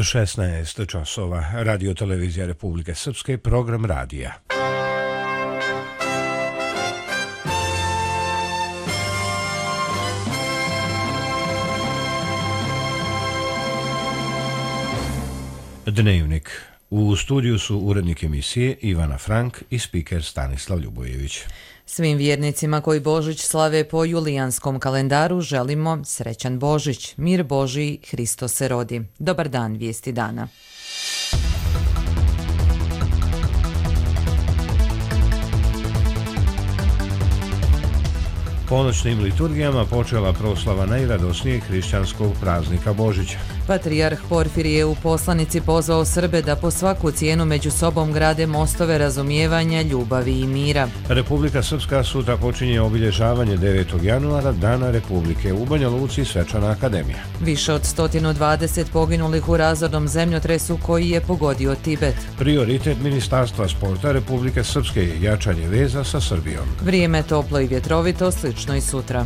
16 časova. Radio Televizija Republike Srpske, program radija. Dnevnik. U studiju su urednik emisije Ivana Frank i spiker Stanislav Ljubojević. Svim vjernicima koji Božić slave po julijanskom kalendaru želimo srećan Božić, mir Božiji, Hristos se rodi. Dobar dan, vijesti dana. Ponoćnim liturgijama počela proslava najradosnijeg hrišćanskog praznika Božića. Patrijarh Porfirije u poslanici pozvao Srbe da po svaku cijenu među sobom grade mostove razumijevanja, ljubavi i mira. Republika Srpska sutra počinje obilježavanje 9. januara, Dana Republike, u Banja Luci Svečana akademija. Više od 120 poginulih u razornom zemljotresu koji je pogodio Tibet. Prioritet Ministarstva sporta Republike Srpske je jačanje veza sa Srbijom. Vrijeme toplo i vjetrovito, slično i sutra.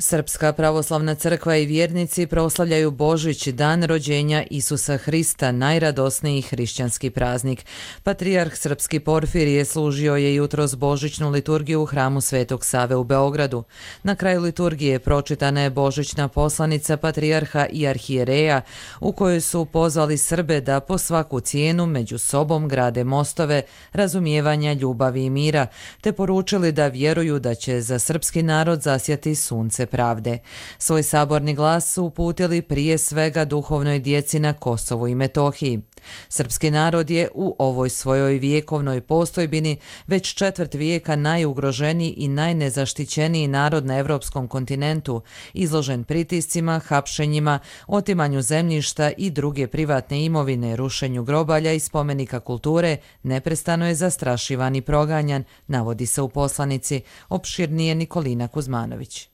Srpska pravoslavna crkva i vjernici proslavljaju Božić, dan rođenja Isusa Hrista, najradosniji hrišćanski praznik. Patrijarh Srpski Porfirije služio je jutros božićnu liturgiju u hramu Svetog Save u Beogradu. Na kraju liturgije pročitana je božićna poslanica patrijarha i arhijereja u kojoj su pozvali Srbe da po svaku cijenu među sobom grade mostove razumijevanja, ljubavi i mira, te poručili da vjeruju da će za srpski narod zasjati sunce pravde. Svoj saborni glas su uputili prije svega duhovnoj djeci na Kosovu i Metohiji. Srpski narod je u ovoj svojoj vjekovnoj postojbini već četvrt vijeka najugroženiji i najnezaštićeniji narod na evropskom kontinentu, izložen pritiscima, hapšenjima, otimanju zemljišta i druge privatne imovine, rušenju grobalja i spomenika kulture, neprestano je zastrašivan i proganjan, navodi se u poslanici. Opširnije Nikolina Kuzmanović.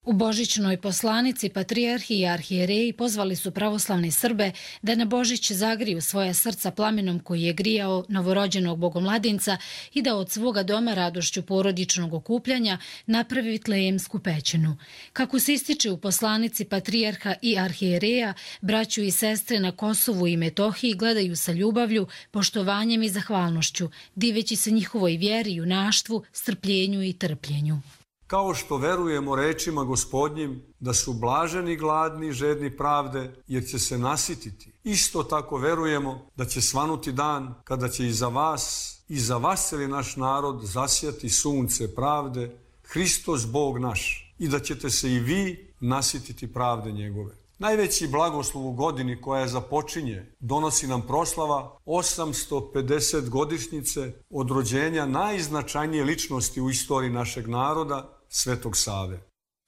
U božićnoj poslanici patrijarhi i arhijereji pozvali su pravoslavne Srbe da na Božić zagriju svoja srca plamenom koji je grijao novorođenog bogomladinca i da od svoga doma radošću porodičnog okupljanja napravi vitlejemsku pećinu. Kako se ističe u poslanici patrijarha i arhijereja, braću i sestre na Kosovu i Metohiji gledaju sa ljubavlju, poštovanjem i zahvalnošću, diveći se njihovoj vjeri, junaštvu, strpljenju i trpljenju. Kao što verujemo rečima Gospodnjim da su blaženi gladni i žedni pravde jer će se nasititi, isto tako verujemo da će svanuti dan kada će i za vas cijeli naš narod zasjati sunce pravde, Hristos Bog naš, i da ćete se i vi nasititi pravde njegove. Najveći blagoslov u godini koja je započinje donosi nam proslava 850 godišnjice od rođenja najznačajnije ličnosti u istoriji našeg naroda, Svetog Save.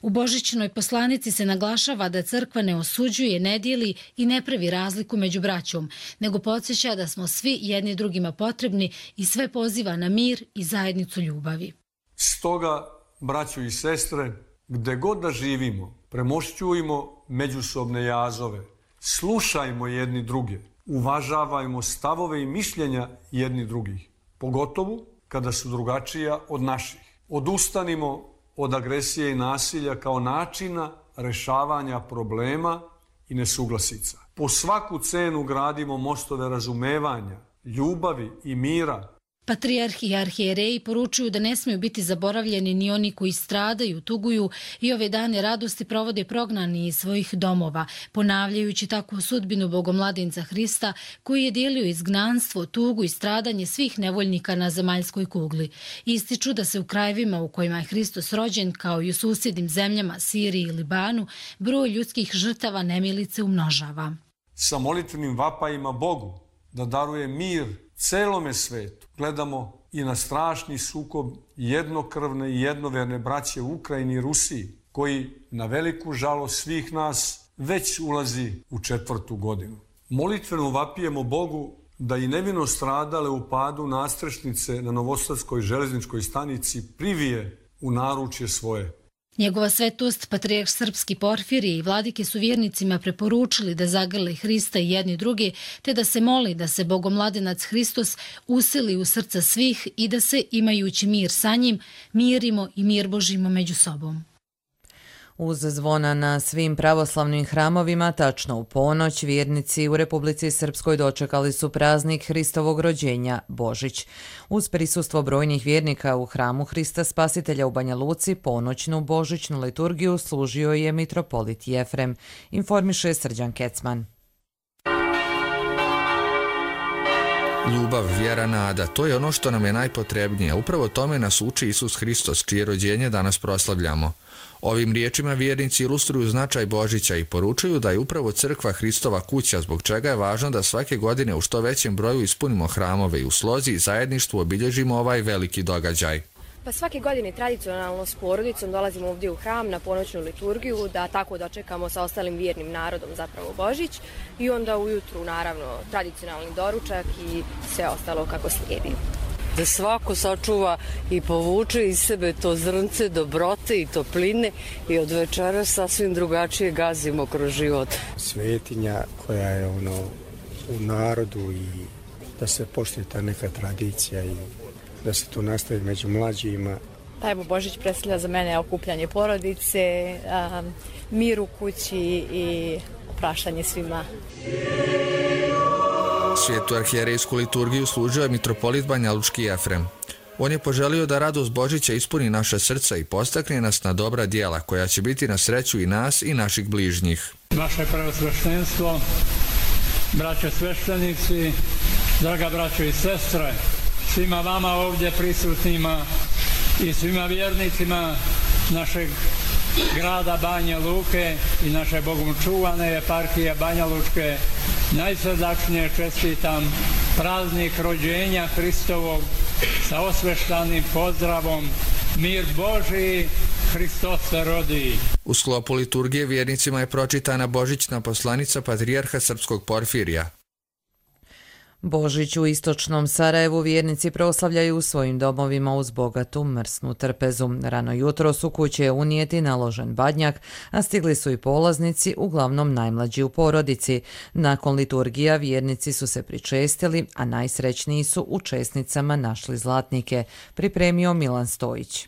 U božićnoj poslanici se naglašava da crkva ne osuđuje, ne dijeli i ne pravi razliku među braćom, nego podsjeća da smo svi jedni drugima potrebni i sve poziva na mir i zajednicu ljubavi. Stoga, braćo i sestre, gde god da živimo, premošćujmo međusobne jazove, slušajmo jedni druge, uvažavajmo stavove i mišljenja jedni drugih, pogotovo kada su drugačija od naših. Odustanimo od agresije i nasilja kao načina rešavanja problema i nesuglasica. Po svaku cenu gradimo mostove razumevanja, ljubavi i mira. Patrijarhi i arhijereji poručuju da ne smiju biti zaboravljeni ni oni koji stradaju, tuguju i ove dane radosti provode prognani iz svojih domova, ponavljajući tako sudbinu bogomladinca Hrista koji je dijelio izgnanstvo, tugu i stradanje svih nevoljnika na zemaljskoj kugli. Ističu da se u krajevima u kojima je Hristos rođen, kao i u susjednim zemljama Siriji i Libanu, broj ljudskih žrtava nemilice umnožava. Sa molitvenim vapajima Bogu da daruje mir celome svetu gledamo i na strašni sukob jednokrvne i jednoverne braće u Ukrajini i Rusiji, koji na veliku žalost svih nas već ulazi u 4. godinu. Molitveno vapijemo Bogu da i nevino stradale u padu nadstrešnice na Novosadskoj železničkoj stanici privije u naručje svoje. Njegova svetost, patrijarh Srpski Porfirije i vladike su vjernicima preporučili da zagrle Hrista i jedni drugi, te da se moli da se bogomladenac Hristos usili u srca svih i da se, imajući mir sa njim, mirimo i mir Božimo među sobom. Uz zvona na svim pravoslavnim hramovima, tačno u ponoć, vjernici u Republici Srpskoj dočekali su praznik Hristovog rođenja, Božić. Uz prisustvo brojnih vjernika u hramu Hrista Spasitelja u Banja Luci, ponoćnu božićnu liturgiju služio je mitropolit Jefrem, informiše Srđan Kecman. Ljubav, vjera, nada, to je ono što nam je najpotrebnije. Upravo tome nas uči Isus Hristos, čije rođenje danas proslavljamo. Ovim riječima vjernici ilustruju značaj Božića i poručuju da je upravo crkva Hristova kuća, zbog čega je važno da svake godine u što većem broju ispunimo hramove i u slozi i zajedništvu obilježimo ovaj veliki događaj. Pa svake godine tradicionalno s porodicom dolazimo ovdje u hram na ponoćnu liturgiju da tako dočekamo sa ostalim vjernim narodom zapravo Božić i onda ujutru naravno tradicionalni doručak i sve ostalo kako slijedi. Da svako sačuva i povuče iz sebe to zrnce dobrote i topline i od večera sasvim drugačije gazimo kroz život. Svetinja koja je u narodu i da se poštuje ta neka tradicija i da se to nastavi među mlađima. Pa evo, Božić predstavlja za mene okupljanje porodice, mir u kući i opraštanje svima. Svetu arhijerejsku liturgiju služio je mitropolit banjalučki Jefrem. On je poželio da radost Božića ispuni naša srca i postakne nas na dobra djela, koja će biti na sreću i nas i naših bližnjih. Vaše preosveštenstvo, braće sveštenici, draga braćo i sestre, svima vama ovdje prisutnima i svima vjernicima našeg grada Banja Luke i naše Bogom čuvane eparhije Banja Lučke najsrdačnije čestitam praznik rođenja Hristovog sa osveštanim pozdravom Mir Božiji, Hristos se rodi. U sklopu liturgije vjernicima je pročitana božićna poslanica patrijarha srpskog Porfirija. Božić u istočnom Sarajevu vjernici proslavljaju u svojim domovima uz bogatu mrsnu trpezu. Rano jutro su kuće unijeti naložen badnjak, a stigli su i polaznici, uglavnom najmlađi u porodici. Nakon liturgija vjernici su se pričestili, a najsrećniji su u česnicama našli zlatnike, pripremio Milan Stojić.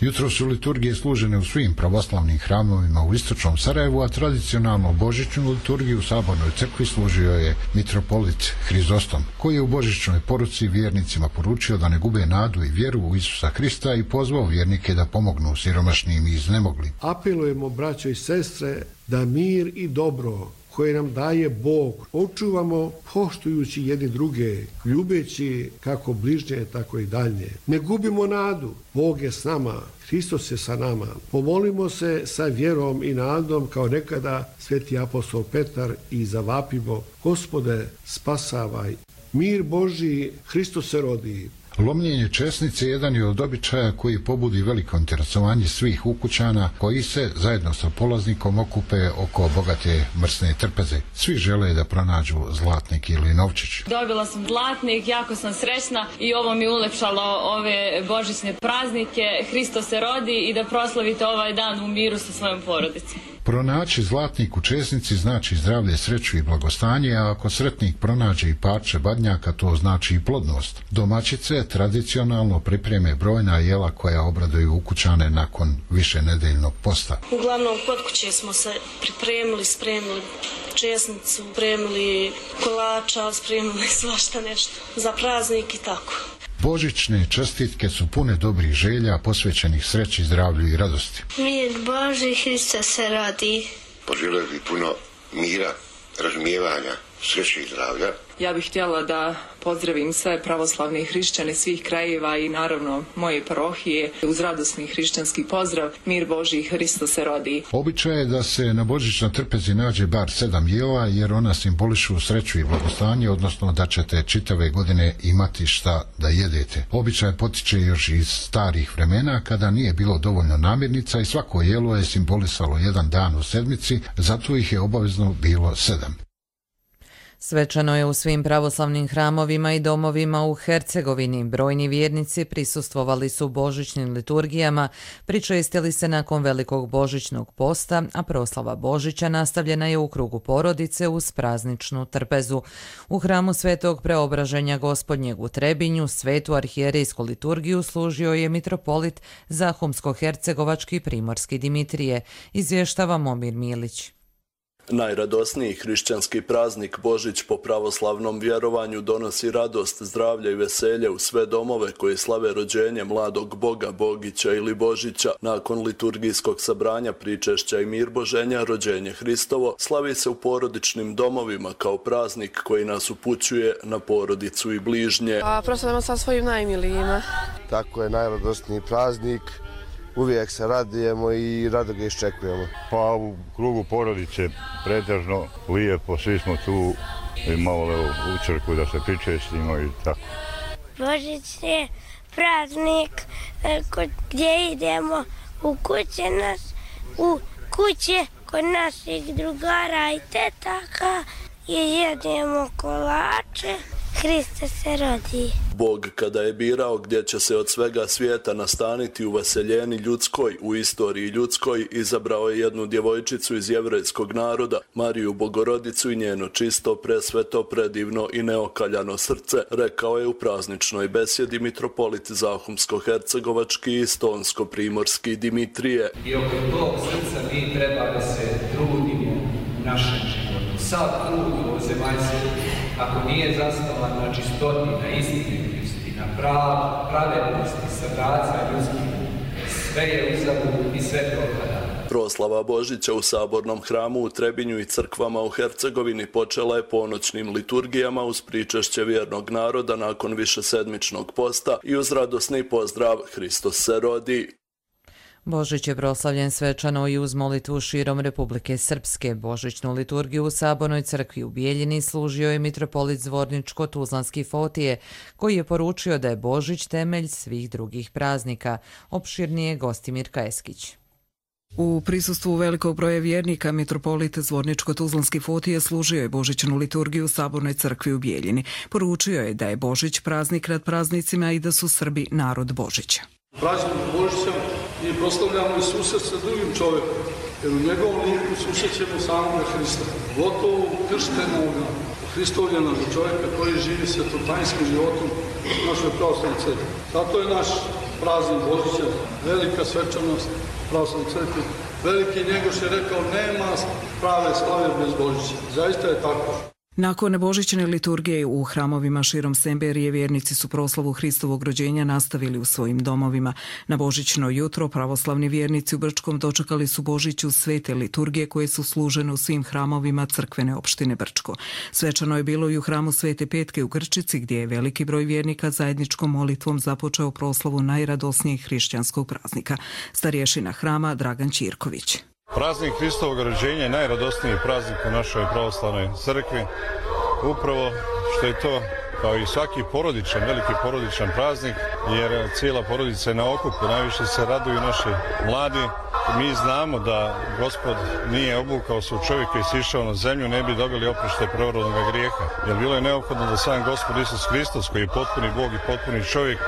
Jutro su liturgije služene u svim pravoslavnim hramovima u istočnom Sarajevu, a tradicionalno božićnu liturgiju u Sabornoj crkvi služio je mitropolit Hrizostom, koji je u božićnoj poruci vjernicima poručio da ne gube nadu i vjeru u Isusa Hrista i pozvao vjernike da pomognu siromašnim i iznemoglim. Apelujemo, braćo i sestre, da mir i dobro koje nam daje Bog očuvamo poštujući jedni druge, ljubeći kako bližnje, tako i dalje. Ne gubimo nadu, Bog je s nama, Hristos je sa nama. Pomolimo se sa vjerom i nadom kao nekada sveti apostol Petar i zavapimo: Gospode, spasavaj. Mir Božji, Hristos se rodi. Lomljenje česnice jedan je od običaja koji pobudi veliko interesovanje svih ukućana koji se zajedno sa polaznikom okupe oko bogate mrsne trpeze. Svi žele da pronađu zlatnik ili novčić. Dobila sam zlatnik, jako sam srećna i ovo mi ulepšalo ove božićne praznike. Hristos se rodi i da proslavite ovaj dan u miru sa svojom porodicom. Pronaći zlatnik u česnici znači zdravlje, sreću i blagostanje, a ako sretnik pronađe i parče badnjaka, to znači i plodnost. Domaćice tradicionalno pripreme brojna jela koja obraduju ukućane nakon višenedeljnog posta. Uglavnom kod kuće smo se pripremili, spremili česnicu, spremili kolača, spremili svašta nešto za praznik i tako. Božićne čestitke su pune dobrih želja, posvećenih sreći, zdravlju i radosti. Mir Božji, Hristos se rodi. Poželio bih puno mira, razumijevanja, sreće i zdravlja. Ja bih htjela da pozdravim sve pravoslavne hrišćane svih krajeva i naravno moje parohije uz radosni hrišćanski pozdrav: Mir Božji, Hristos se rodi. Običaj je da se na božićnoj trpezi nađe bar 7 jela, jer ona simbolišu sreću i blagostanje, odnosno da ćete čitave godine imati šta da jedete. Običaj potiče još iz starih vremena kada nije bilo dovoljno namirnica i svako jelo je simbolisalo jedan dan u sedmici, zato ih je obavezno bilo 7. Svečano je u svim pravoslavnim hramovima i domovima u Hercegovini. Brojni vjernici prisustvovali su božićnim liturgijama, pričestili se nakon velikog božićnog posta, a proslava Božića nastavljena je u krugu porodice uz prazničnu trpezu. U hramu Svetog Preobraženja Gospodnjeg u Trebinju svetu arhijerejsku liturgiju služio je mitropolit Zahumsko-hercegovački primorski Dimitrije, izvještava Momir Milić. Najradosniji hrišćanski praznik Božić po pravoslavnom vjerovanju donosi radost, zdravlje i veselje u sve domove koji slave rođenje mladog Boga, Bogića ili Božića. Nakon liturgijskog sabranja, pričešća i mirboženja, rođenje Hristovo slavi se u porodičnim domovima kao praznik koji nas upućuje na porodicu i bližnje. Proslavljamo sa svojim najmilijima. Tako je najradosniji praznik. Uvijek se radujemo i rado ga iščekujemo. Pa u krugu porodice pretežno lijepo, svi smo tu i malo u crkvu da se pričestimo i tako. Božić je praznik gdje idemo u kuće kod naših drugara i tetaka i jedemo kolače. Hriste se rodi. Bog kada je birao gdje će se od svega svijeta nastaniti u vaseljeni ljudskoj, u istoriji ljudskoj, izabrao je jednu djevojčicu iz jevrejskog naroda, Mariju Bogorodicu i njeno čisto, presveto, predivno i neokaljano srce, rekao je u prazničnoj besjedi mitropolit Zahumsko-hercegovački i Stonsko-primorski Dimitrije. I oko tog srca mi treba da se trudimo u našem životu. Sav trud ovozemaljski, ako nije zasnovan na čistoti, na istinitosti, na pravednosti, sa braca ljudskih, sve je uzalud i sve propada. Proslava Božića u Sabornom hramu u Trebinju i crkvama u Hercegovini počela je ponoćnim liturgijama uz pričešće vjernog naroda nakon višesedmičnog posta i uz radosni pozdrav Hristos se rodi. Božić je proslavljen svečano i uz molitvu širom Republike Srpske. Božićnu liturgiju u Sabornoj crkvi u Bijeljini služio je mitropolit Zvorničko-Tuzlanski Fotije, koji je poručio da je Božić temelj svih drugih praznika. Opširnije Gostimir Kajeskić. U prisustvu velikog broja vjernika mitropolit Zvorničko-Tuzlanski Fotije služio je božićnu liturgiju u Sabornoj crkvi u Bijeljini. Poručio je da je Božić praznik nad praznicima i da su Srbi narod Božića. Praznik Božića mi proslavljamo i susret sa drugim čovjekom, jer u njegovom liku susrećemo samoga Hrista, gotovo krštenoga, Hristovljena čovjeka koji živi svetotanskim životom u našoj pravoslavnoj crkvi. Zato je naš praznik Božića velika svečanost pravoslavnoj crkvi. Veliki Njegoš je rekao nema prave slave bez Božića. Zaista je tako. Nakon božićne liturgije u hramovima širom Semberije vjernici su proslavu Hristovog rođenja nastavili u svojim domovima. Na božićno jutro pravoslavni vjernici u Brčkom dočekali su Božić uz svete liturgije koje su služene u svim hramovima crkvene opštine Brčko. Svečano je bilo i u hramu Svete Petke u Grčici gdje je veliki broj vjernika zajedničkom molitvom započeo proslavu najradosnijeg hrišćanskog praznika. Starješina hrama Dragan Ćirković. Praznik Hristovog rođenja je najradosniji praznik u našoj pravoslavnoj crkvi. Upravo što je to, kao i svaki porodičan, veliki porodičan praznik, jer cijela porodica je na okupu, najviše se raduju naši mladi. Mi znamo da Gospod nije obukao se u čovjeka i sišao na zemlju, ne bi dobili oproštaj prvorodnog grijeha. Jer bilo je neophodno da sam Gospod Isus Hristos, koji je potpuni Bog i potpuni čovjek,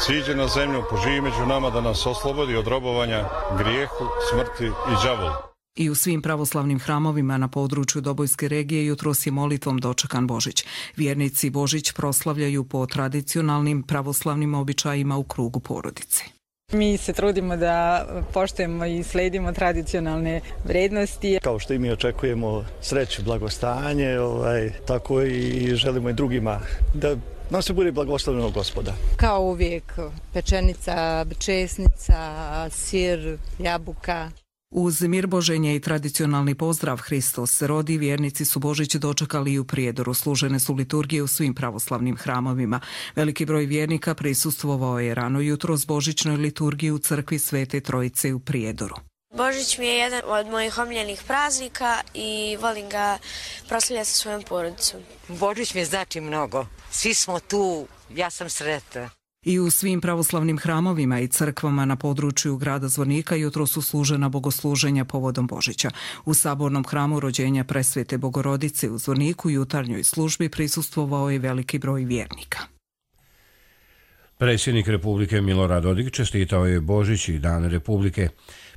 siđe na zemlju, poživi među nama da nas oslobodi od robovanja grijehu, smrti i đavolu. I u svim pravoslavnim hramovima na području Dobojske regije jutros je molitvom dočekan Božić. Vjernici Božić proslavljaju po tradicionalnim pravoslavnim običajima u krugu porodice. Mi se trudimo da poštujemo i sledimo tradicionalne vrednosti. Kao što i mi očekujemo sreću, blagostanje, tako i želimo i drugima da nam se bude blagoslovljeno Gospoda. Kao uvijek pečenica, česnica, sir, jabuka. Uz mirboženje i tradicionalni pozdrav Hristos se rodi, vjernici su Božić dočekali i u Prijedoru. Služene su liturgije u svim pravoslavnim hramovima. Veliki broj vjernika prisustvovao je rano jutro s božićnoj liturgiji u crkvi Svete Trojice u Prijedoru. Božić mi je jedan od mojih omiljenih praznika i volim ga proslavljati sa svojom porodicom. Božić mi znači mnogo. Svi smo tu, ja sam sretna. I u svim pravoslavnim hramovima i crkvama na području grada Zvornika jutros su služena bogosluženja povodom Božića. U sabornom hramu rođenja Presvete Bogorodice u Zvorniku jutarnjoj službi prisustvovao je veliki broj vjernika. Predsjednik Republike Milorad Dodik čestitao je Božić i Dan Republike.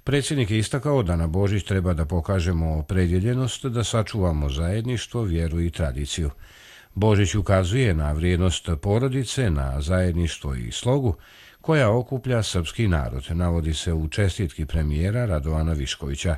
Predsjednik je istakao da na Božić treba da pokažemo opredjeljenost, da sačuvamo zajedništvo, vjeru i tradiciju. Božić ukazuje na vrijednost porodice, na zajedništvo i slogu koja okuplja srpski narod, navodi se u čestitki premijera Radovana Viškovića.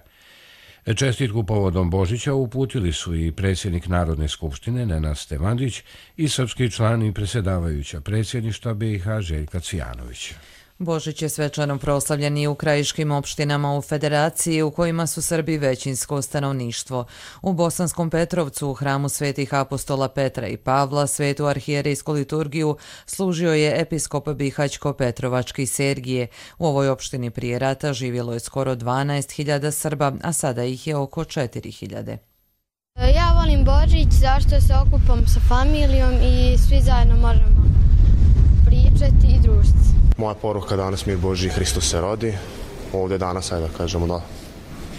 Čestitku povodom Božića uputili su i predsjednik Narodne skupštine Nenad Stevandić i srpski član i predsjedavajuća predsjedništva BiH Željka Cijanović. Božić je svečano proslavljen i u krajiškim opštinama u Federaciji u kojima su Srbi većinsko stanovništvo. U Bosanskom Petrovcu u hramu svetih apostola Petra i Pavla svetu arhijerejsku liturgiju služio je episkop Bihaćko-Petrovački Sergije. U ovoj opštini prije rata živjelo je skoro 12.000 Srba, a sada ih je oko 4.000. Ja volim Božić zašto se okupam sa familijom i svi zajedno možemo pričati i družiti. Moja poruka danas mir Božji, Hristos se rodi. Ovdje danas, ajde da kažemo, da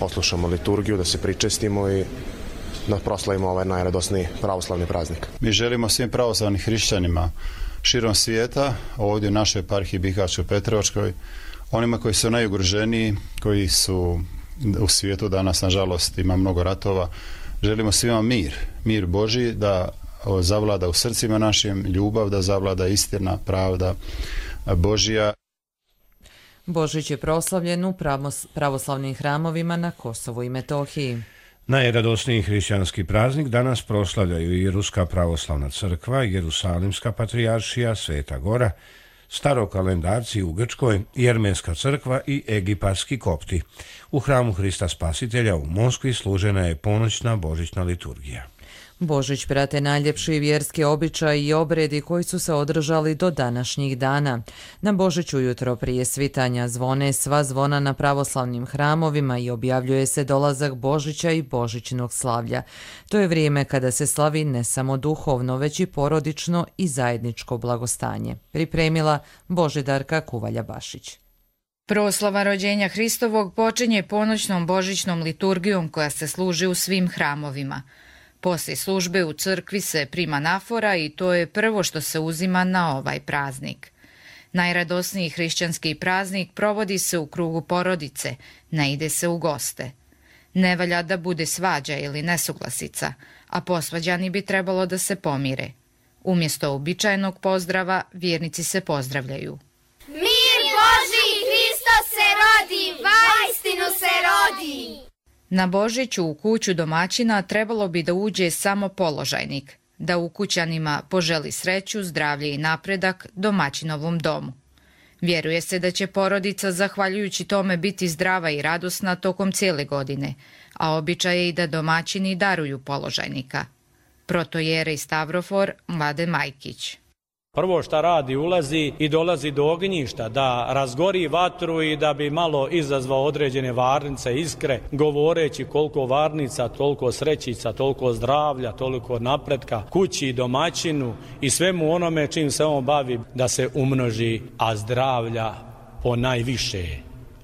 oslušamo liturgiju, da se pričestimo i da proslavimo ovaj najradosniji pravoslavni praznik. Mi želimo svim pravoslavnim hrišćanima širom svijeta, ovdje u našoj eparhiji Bihaćko-Petrovačkoj, onima koji su najugroženiji, koji su u svijetu danas, nažalost, ima mnogo ratova, želimo svima mir Božji, da zavlada u srcima našim, ljubav, da zavlada istina, pravda Božja. Božić je proslavljen u pravoslavnim hramovima na Kosovu i Metohiji. Najradosniji hrišćanski praznik danas proslavljaju i Ruska pravoslavna crkva, Jerusalimska patrijaršija, Sveta Gora, starokalendarci u Grčkoj, Jermenska crkva i egipatski kopti. U hramu Hrista Spasitelja u Moskvi služena je ponoćna božićna liturgija. Božić prate najljepši vjerski običaji i obredi koji su se održali do današnjih dana. Na Božić ujutro prije svitanja zvone sva zvona na pravoslavnim hramovima i objavljuje se dolazak Božića i božićnog slavlja. To je vrijeme kada se slavi ne samo duhovno, već i porodično i zajedničko blagostanje. Pripremila Božidarka Kuvalja-Bašić. Proslava rođenja Hristovog počinje ponoćnom božićnom liturgijom koja se služi u svim hramovima. Poslije službe u crkvi se prima nafora i to je prvo što se uzima na ovaj praznik. Najradosniji hrišćanski praznik provodi se u krugu porodice, ne ide se u goste. Ne valja da bude svađa ili nesuglasica, a posvađani bi trebalo da se pomire. Umjesto uobičajenog pozdrava, vjernici se pozdravljaju. Mir Božji, Hristos se rodi, vaistinu se rodi! Na Božiću u kuću domaćina trebalo bi da uđe samo položajnik, da ukućanima poželi sreću, zdravlje i napredak domaćinovom domu. Vjeruje se da će porodica zahvaljujući tome biti zdrava i radosna tokom cijele godine, a običaj je i da domaćini daruju položajnika. Protojerej Stavrofor Mladen Majkić. Prvo šta radi, ulazi i dolazi do ognjišta, da razgori vatru i da bi malo izazvao određene varnice, iskre, govoreći koliko varnica, toliko srećica, toliko zdravlja, toliko napretka, kući, domaćinu i svemu onome čim se on bavi da se umnoži, a zdravlja po najviše.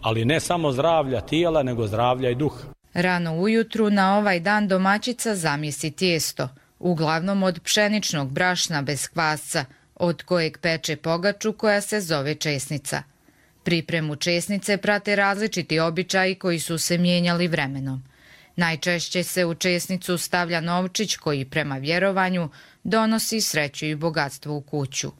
Ali ne samo zdravlja tijela, nego zdravlja i duha. Rano ujutru na ovaj dan domaćica zamjesi tijesto, uglavnom od pšeničnog brašna bez kvasca, od kojeg peče pogaču koja se zove česnica. Pripremu česnice prate različiti običaji koji su se mijenjali vremenom. Najčešće se u česnicu stavlja novčić koji prema vjerovanju donosi sreću i bogatstvo u kuću.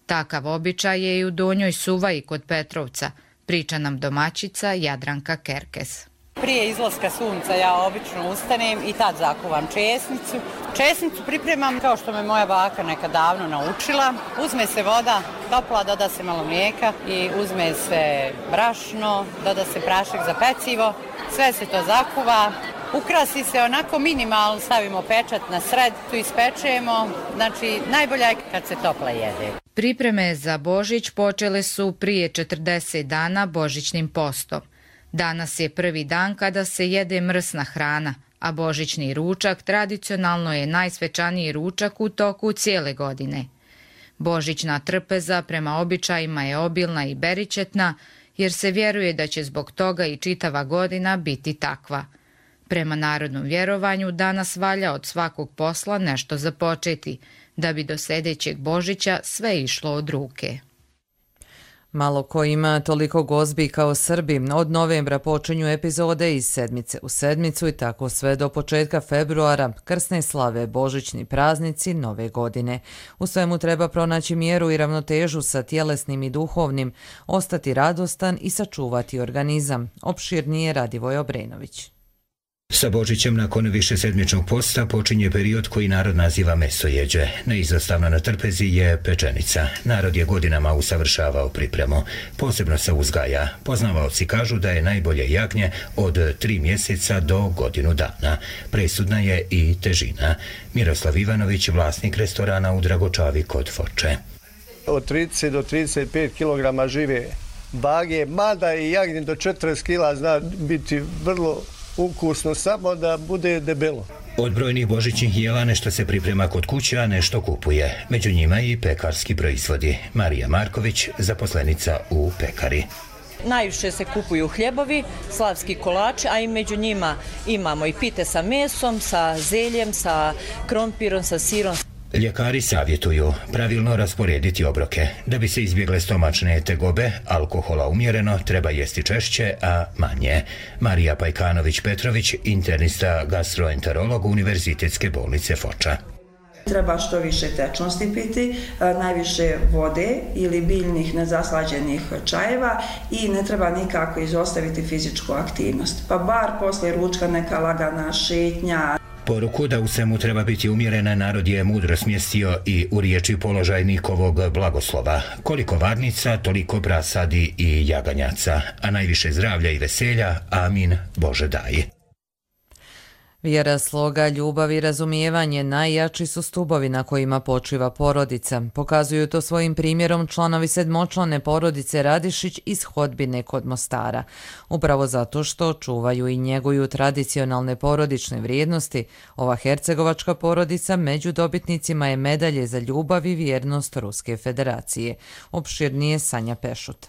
Takav običaj je i u Donjoj Suvaji kod Petrovca, priča nam domaćica Jadranka Kerkes. Prije izlaska sunca ja obično ustanem i tad zakuvam česnicu. Česnicu pripremam kao što me moja baka nekad davno naučila. Uzme se voda topla, doda se malo mlijeka i uzme se brašno, doda se prašak za pecivo. Sve se to zakuva. Ukrasi se onako minimalno, stavimo pečat na sred, tu ispečemo. Znači, najbolje je kad se topla jede. Pripreme za Božić počele su prije 40 dana božićnim postom. Danas je prvi dan kada se jede mrsna hrana, a božićni ručak tradicionalno je najsvečaniji ručak u toku cijele godine. Božićna trpeza prema običajima je obilna i beričetna, jer se vjeruje da će zbog toga i čitava godina biti takva. Prema narodnom vjerovanju danas valja od svakog posla nešto započeti, da bi do sljedećeg Božića sve išlo od ruke. Malo ko ima toliko gozbi kao Srbi. Od novembra počinju epizode iz sedmice u sedmicu i tako sve do početka februara, krsne slave, božićni praznici, nove godine. U svemu treba pronaći mjeru i ravnotežu sa tjelesnim i duhovnim, ostati radostan i sačuvati organizam. Opširnije Radivoj Obrenović. Sa Božićem nakon višesedmičnog posta počinje period koji narod naziva mesojeđe. Neizostavno na trpezi je pečenica. Narod je godinama usavršavao pripremu. Posebno se uzgaja. Poznavaoci kažu da je najbolje jagnje od 3 mjeseca do godinu dana. Presudna je i težina. Miroslav Ivanović, vlasnik restorana u Dragočavi kod Foče. Od 30 do 35 kg žive vage, mada i jagnje do 40 kg zna biti vrlo ukusno, samo da bude debelo. Od brojnih božićnih jela nešto se priprema kod kuće, a nešto kupuje. Među njima i pekarski proizvodi. Marija Marković, zaposlenica u pekari. Najviše se kupuju hljebovi, slavski kolači, a i među njima imamo i pite sa mesom, sa zeljem, sa krompirom, sa sirom. Ljekari savjetuju pravilno rasporediti obroke. Da bi se izbjegle stomačne tegobe, alkohola umjereno, treba jesti češće, a manje. Marija Pajkanović-Petrović, internista gastroenterolog Univerzitetske bolnice Foča. Treba što više tečnosti piti, najviše vode ili biljnih nezaslađenih čajeva i ne treba nikako izostaviti fizičku aktivnost. Pa bar poslije ručka neka lagana šetnja. Poruku da u svemu treba biti umjerena narod je mudro smjestio i u riječi položaj Nikovog blagoslova. Koliko varnica, toliko prasadi i jaganjaca, a najviše zdravlja i veselja, amin, Bože daj. Vjera, sloga, ljubav i razumijevanje najjači su stubovi na kojima počiva porodica. Pokazuju to svojim primjerom članovi sedmočlane porodice Radišić iz Hodbine kod Mostara. Upravo zato što čuvaju i njeguju tradicionalne porodične vrijednosti, ova hercegovačka porodica među dobitnicima je medalje za ljubav i vjernost Ruske federacije. Opširnije Sanja Pešut.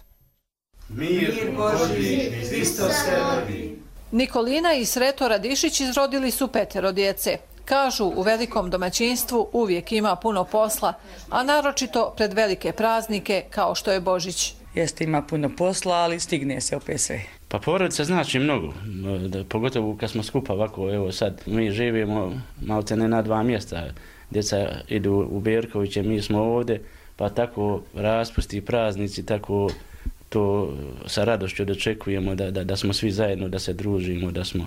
Mir Božji, Hristos se rodi. Nikolina i Sreto Radišić izrodili su 5 djece. Kažu, u velikom domaćinstvu uvijek ima puno posla, a naročito pred velike praznike kao što je Božić. Jeste, ima puno posla, ali stigne se opet sve. Pa porodica znači mnogo, pogotovo kad smo skupa ovako, evo sad mi živimo malte ne na 2 mjesta. Djeca idu u Berkoviće, mi smo ovdje, pa tako raspusti praznici, tako to sa radošću dočekujemo da smo svi zajedno, da se družimo, da smo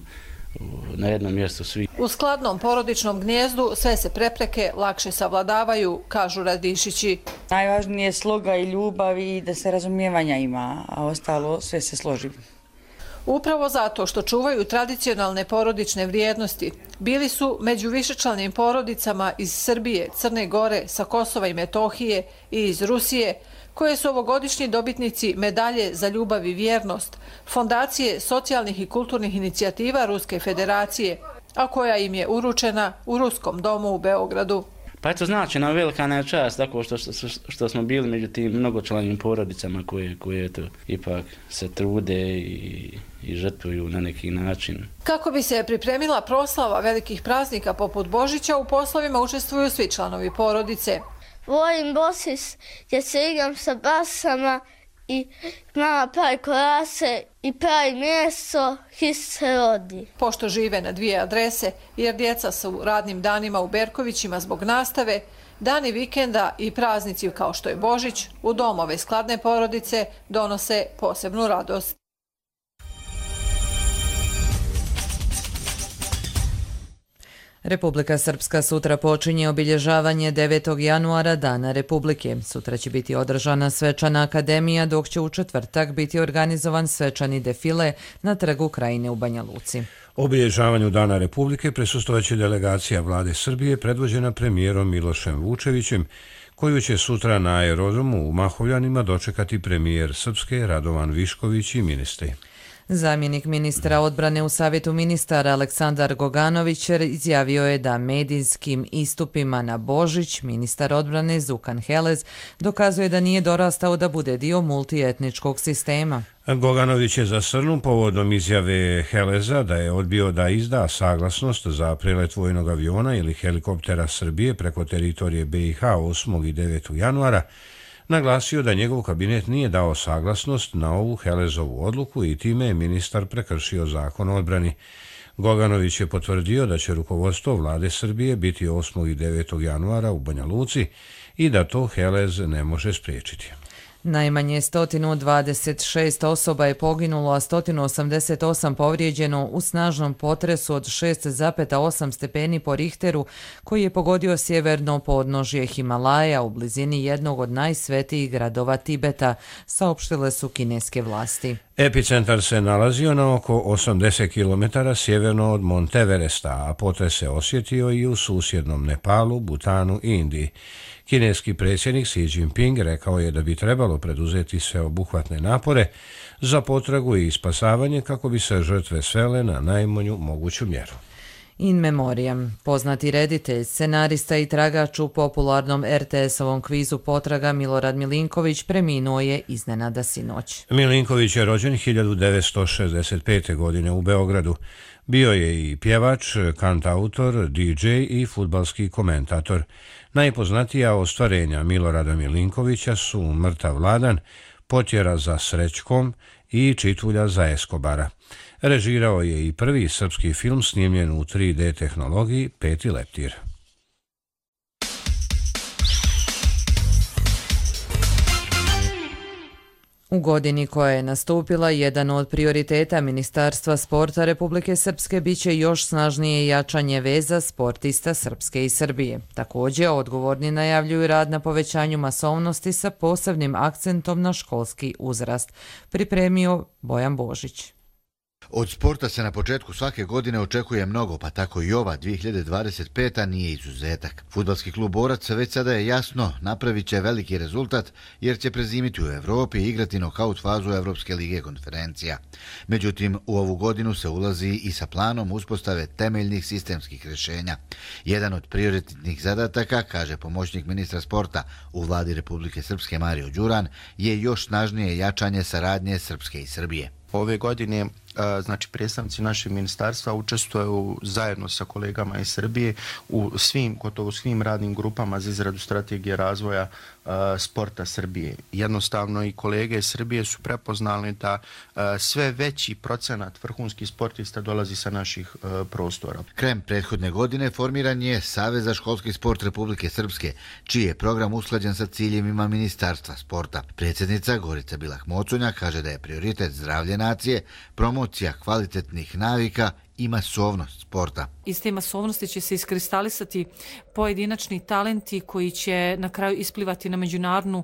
na jednom mjestu svi. U skladnom porodičnom gnijezdu sve se prepreke lakše savladavaju, kažu Radišići. Najvažnije je sloga i ljubav i da se razumijevanja ima, a ostalo sve se složi. Upravo zato što čuvaju tradicionalne porodične vrijednosti, bili su među višečlanim porodicama iz Srbije, Crne Gore, sa Kosova i Metohije i iz Rusije, koje su ovogodišnji dobitnici medalje za ljubav i vjernost, Fondacije socijalnih i kulturnih inicijativa Ruske federacije, a koja im je uručena u Ruskom domu u Beogradu. Pa eto znači nam velika nam čast tako što smo bili među tim mnogočlanim porodicama koje eto, ipak se trude i žrtvuju na neki način. Kako bi se pripremila proslava velikih praznika poput Božića, u poslovima učestvuju svi članovi porodice. Volim Bosis gdje se igram sa basama i mama pravi kolase i pravi meso, Hrist se rodi. Pošto žive na 2 adrese, jer djeca su radnim danima u Berkovićima zbog nastave, dani vikenda i praznici kao što je Božić u domove skladne porodice donose posebnu radost. Republika Srpska sutra počinje obilježavanje 9. januara Dana Republike. Sutra će biti održana svečana akademija, dok će u četvrtak biti organizovan svečani defile na Trgu Krajine u Banja Luci. Obilježavanju Dana Republike prisustvovaće delegacija vlade Srbije predvođena premijerom Milošem Vučevićem, koju će sutra na aerodromu u Mahovljanima dočekati premijer Srpske Radovan Višković i ministri. Zamjenik ministra odbrane u Savjetu ministara Aleksandar Goganović izjavio je da medijskim istupima na Božić ministar odbrane Zukan Helez dokazuje da nije dorastao da bude dio multietničkog sistema. Goganović je zasrnu povodom izjave Heleza da je odbio da izda saglasnost za prelet vojnog aviona ili helikoptera Srbije preko teritorije BiH 8. i 9. januara, naglasio da njegov kabinet nije dao saglasnost na ovu Helezovu odluku i time je ministar prekršio zakon o odbrani. Goganović je potvrdio da će rukovodstvo vlade Srbije biti 8. i 9. januara u Banja Luci i da to Helez ne može spriječiti. Najmanje 126 osoba je poginulo, a 188 povrijeđeno u snažnom potresu od 6,8 stepeni po Richteru koji je pogodio sjeverno podnožje Himalaja u blizini jednog od najsvetijih gradova Tibeta, saopštile su kineske vlasti. Epicentar se nalazio na oko 80 km sjeverno od Monteveresta, a potres se osjetio i u susjednom Nepalu, Butanu i Indiji. Kineski predsjednik Xi Jinping rekao je da bi trebalo preduzeti sveobuhvatne napore za potragu i spasavanje kako bi se žrtve svele na najmanju moguću mjeru. In memoriam, poznati reditelj, scenarista i tragač u popularnom RTS-ovom kvizu Potraga Milorad Milinković preminuo je iznenada sinoć. Milinković je rođen 1965. godine u Beogradu. Bio je i pjevač, kantautor, DJ i fudbalski komentator. Najpoznatija ostvarenja Milorada Milinkovića su Mrtav Vladan, Potjera za Srećkom i Čitulja za Eskobara. Režirao je i prvi srpski film snimljen u 3D tehnologiji Peti leptir. U godini koja je nastupila, jedan od prioriteta Ministarstva sporta Republike Srpske biće još snažnije jačanje veza sportista Srpske i Srbije. Također, odgovorni najavljuju rad na povećanju masovnosti sa posebnim akcentom na školski uzrast. Pripremio Bojan Božić. Od sporta se na početku svake godine očekuje mnogo, pa tako i ova 2025. nije izuzetak. Fudbalski klub Borac već sada je jasno napravit će veliki rezultat jer će prezimiti u Evropi i igrati nokaut fazu Evropske lige konferencija. Međutim, u ovu godinu se ulazi i sa planom uspostave temeljnih sistemskih rješenja. Jedan od prioritetnih zadataka, kaže pomoćnik ministra sporta u vladi Republike Srpske Mario Đuran, je još snažnije jačanje saradnje Srpske i Srbije. Ove godine znači predstavnici našeg ministarstva učestvuju zajedno sa kolegama iz Srbije u gotovo svim radnim grupama za izradu strategije razvoja sporta Srbije. Jednostavno i kolege iz Srbije su prepoznali da sve veći procenat vrhunskih sportista dolazi sa naših prostora. Krajem prethodne godine formiran je Savez za školski sport Republike Srpske, čiji je program usklađen sa ciljevima Ministarstva sporta. Predsjednica Gorica Bilah-Moconja kaže da je prioritet zdravlje nacije, promocija kvalitetnih navika i masovnost sporta. Iz te masovnosti će se iskristalisati pojedinačni talenti koji će na kraju isplivati na međunarodnu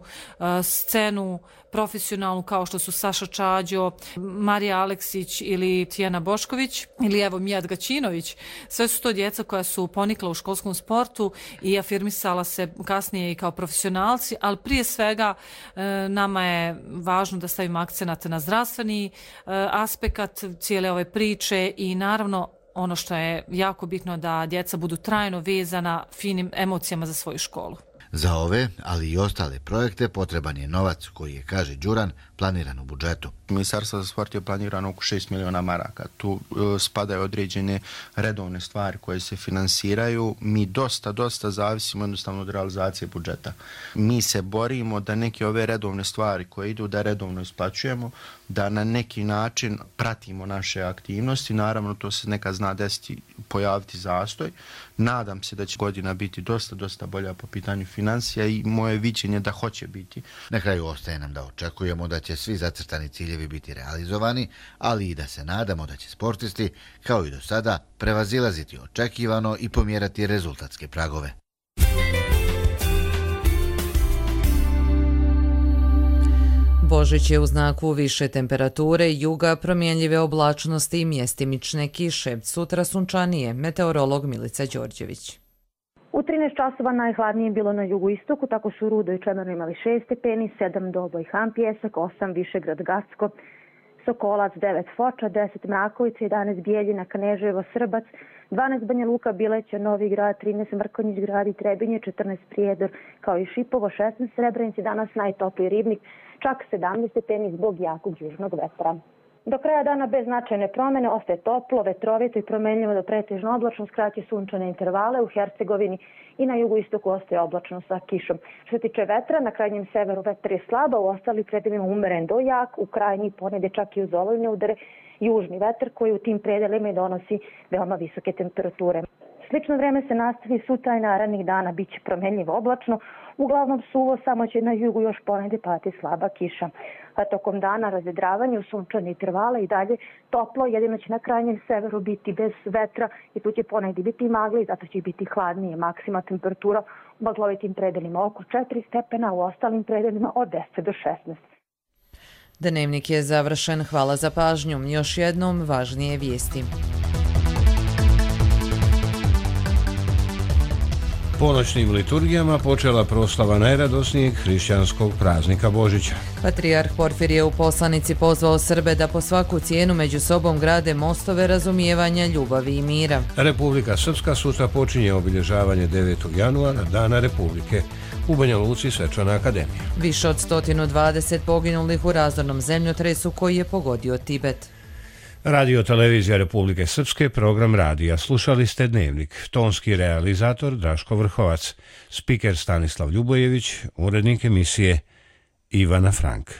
scenu, profesionalnu, kao što su Saša Čađo, Marija Aleksić ili Tijana Bošković ili evo Mijat Gaćinović. Sve su to djeca koja su ponikla u školskom sportu i afirmisala se kasnije i kao profesionalci, ali prije svega nama je važno da stavimo akcenat na zdravstveni aspekt cijele ove priče i naravno ono što je jako bitno da djeca budu trajno vezana finim emocijama za svoju školu. Za ove, ali i ostale projekte potreban je novac koji je, kaže Đuran, planiran u budžetu. Ministarstvo za sport je planirano oko 6 miliona maraka. Tu spadaju određene redovne stvari koje se finansiraju. Mi dosta zavisimo jednostavno od realizacije budžeta. Mi se borimo da neke ove redovne stvari koje idu da redovno isplaćujemo, da na neki način pratimo naše aktivnosti. Naravno, to se nekad zna desiti, pojaviti zastoj. Nadam se da će godina biti dosta bolja po pitanju financija i moje viđenje da hoće biti. Na kraju ostaje nam da očekujemo da će svi zacrtani ciljevi biti realizovani, ali i da se nadamo da će sportisti, kao i do sada, prevazilaziti očekivano i pomjerati rezultatske pragove. Božić je u znaku više temperature, juga, promjenljive oblačnosti i mjestimične kiše. Sutra sunčanije, meteorolog Milica Đorđević. U 13 časova najhladnije je bilo na jugoistoku, tako su Rudo i Čemerno imali 6 stepeni, 7 Doboj Han Pjesak, 8 Višegrad Gacko, Sokolac, 9 Foča, 10 Mrakovica, 11 Bijeljina, Kneževo, Srbac, 12 Banja Luka, Bileća, Novi Grad, 13 Mrkonjić Grad i Trebinje, 14 Prijedor, kao i Šipovo, 16 Srebrenici, danas najtopliji Ribnik, čak 17 stepeni zbog jakog južnog vetra. Do kraja dana bez značajne promene ostaje toplo, vetrovito i promenljivo do pretežno oblačno, skraće sunčane intervale u Hercegovini i na jugoistoku ostaje oblačno sa kišom. Što se tiče vetra, na krajnjem severu vetar je slaba, u ostalim predelima umeren do jak, u krajnji ponede čak i uz olujne udare, južni vetar koji u tim predelima i donosi veoma visoke temperature. Slično vreme se nastavi sutra i narednih dana, bit će promenljivo oblačno, uglavnom suvo, samo će na jugu još ponede pati slaba kiša. A tokom dana razvedravanje u sunčane intervale i dalje toplo, jedino će na krajnjem severu biti bez vetra i tu će ponegdje biti magla i zato će biti hladnije. Maksima temperatura u maglovitim predelima oko 4 stepena, u ostalim predelima od 10 do 16. Dnevnik je završen. Hvala za pažnju. Još jednom važnije vijesti. Ponoćnim liturgijama počela proslava najradosnijeg hrišćanskog praznika Božića. Patrijarh Porfir je u poslanici pozvao Srbe da po svaku cijenu među sobom grade mostove razumijevanja, ljubavi i mira. Republika Srpska sutra počinje obilježavanje 9. januara, Dana Republike. U Banja Luci svečana akademija. Više od 120 poginulih u razornom zemljotresu koji je pogodio Tibet. Radio Televizija Republike Srpske, program radija. Slušali ste Dnevnik. Tonski realizator Draško Vrhovac, spiker Stanislav Ljubojević, urednik emisije Ivana Frank.